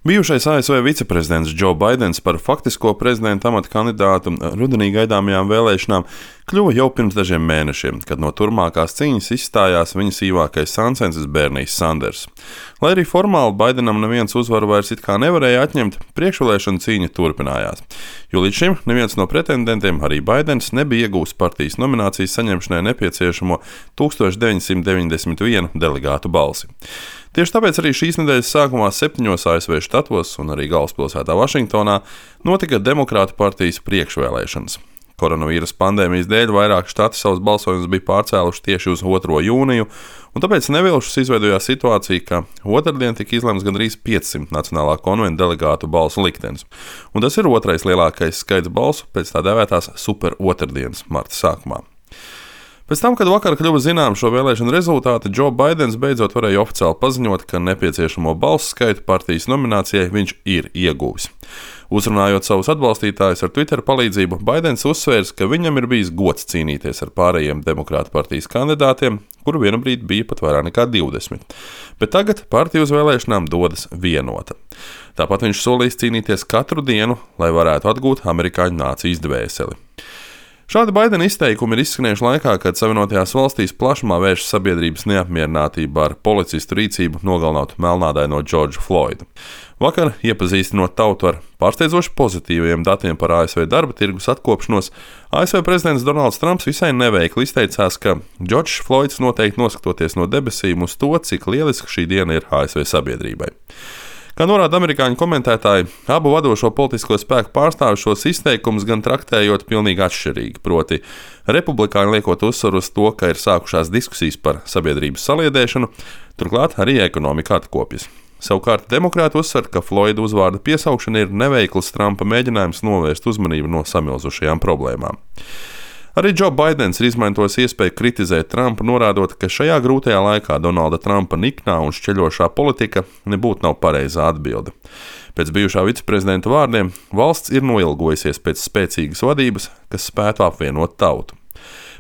Bijušais ASV viceprezidents Džo Baidens par faktisko prezidenta amata kandidātu rudenī gaidāmajām vēlēšanām kļuva jau pirms dažiem mēnešiem, kad no turpmākās cīņas izstājās viņa sīvākais sāncensis Bernijs Sanders. Lai arī formāli Baidenam neviens uzvaru vairs it kā nevarēja atņemt, priekšvēlēšana cīņa turpinājās, jo līdz šim neviens no pretendentiem, arī Baidens, nebija iegūs partijas nominācijas saņemšanai nepieciešamo 1991 delegātu balsi. Tieši tāpēc arī šīs nedēļas sākumā 7 ASV štatos un arī galvaspilsētā Vašingtonā notika Demokrātu partijas priekšvēlēšanas. Koronavīrusa pandēmijas dēļ vairāk štati savus balsojumus bija pārcēluši tieši uz 2. jūniju, un tāpēc nevilšus izveidojās situācija, ka otrdien tika izlemts gandrīz 500 Nacionālā konventa delegātu balsu liktenis. Un tas ir otrais lielākais skaits balsu pēc tā dēvētās super otrdienas marta sākumā. Pēc tam, kad vakar kļuva zinām šo vēlēšanu rezultāti, Džo Baidens beidzot varēja oficiāli paziņot, ka nepieciešamo balsu skaitu partijas nominācijai viņš ir ieguvis. Uzrunājot savus atbalstītājus ar Twitter palīdzību, Baidens uzsvērs, ka viņam ir bijis gods cīnīties ar pārējiem Demokrātu partijas kandidātiem, kuru vienu brīdi bija pat vairāk nekā 20. Bet tagad partija uz vēlēšanām dodas vienota. Tāpat viņš solīs cīnīties katru dienu, lai varētu atgūt amerikāņu nācijas dvēseli. Šādi Baidena izteikumi ir izskanējuši laikā, kad Savienotajās valstīs plašumā vēršas sabiedrības neapmierinātība ar policistu rīcību nogalinot melnādaino Džordžu Floydu. Vakar, iepazīstinot tautu ar pārsteidzoši pozitīviem datiem par ASV darba tirgus atkopšanos, ASV prezidents Donalds Trumps visai neveikli izteicās, ka Džordžs Floyds noteikti noskatoties no debesīm uz to, cik lieliska šī diena ir ASV sabiedrībai. Kā norāda amerikāņu komentētāji, abu vadošo politisko spēku pārstāvju šos izteikumus gan traktējot pilnīgi atšķirīgi, proti republikāņi liekot uzsvaru uz to, ka ir sākušās diskusijas par sabiedrības saliedēšanu, turklāt arī ekonomika atkopjas. Savukārt demokrāti uzsver, ka Floyda uzvārda piesaukšana ir neveikls Trumpa mēģinājums novērst uzmanību no samilzušajām problēmām. Arī Džo Baidens ir izmantojis iespēju kritizēt Trumpu, norādot, ka šajā grūtajā laikā Donalda Trumpa niknā un šķeļošā politika nebūtu nav pareizā atbilde. Pēc bijušā viceprezidenta vārdiem, valsts ir noilgojusies pēc spēcīgas vadības, kas spētu apvienot tautu.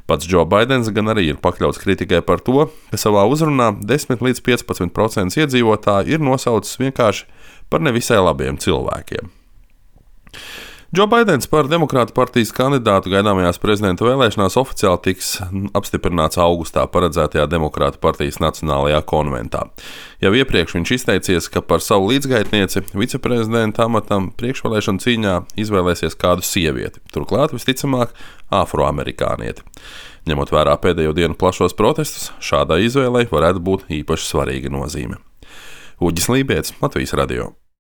Pats Džo Baidens gan arī ir pakļauts kritikai par to, ka savā uzrunā 10 līdz 15% iedzīvotāji ir nosaucis vienkārši par nevisai labiem cilvēkiem. Džo Baidens par Demokrātu partijas kandidātu gaidāmajās prezidenta vēlēšanās oficiāli tiks apstiprināts augustā paredzētajā Demokrātu partijas Nacionālajā konventā. Jau iepriekš viņš izteicies, ka par savu līdzgaitnieci viceprezidenta amatam priekšvēlēšanu cīņā izvēlēsies kādu sievieti, turklāt visticamāk afroamerikānieti. Ņemot vērā pēdējo dienu plašos protestus, šādai izvēlei varētu būt īpaši svarīga nozīme. Uģis Lībietis, Latvijas radio.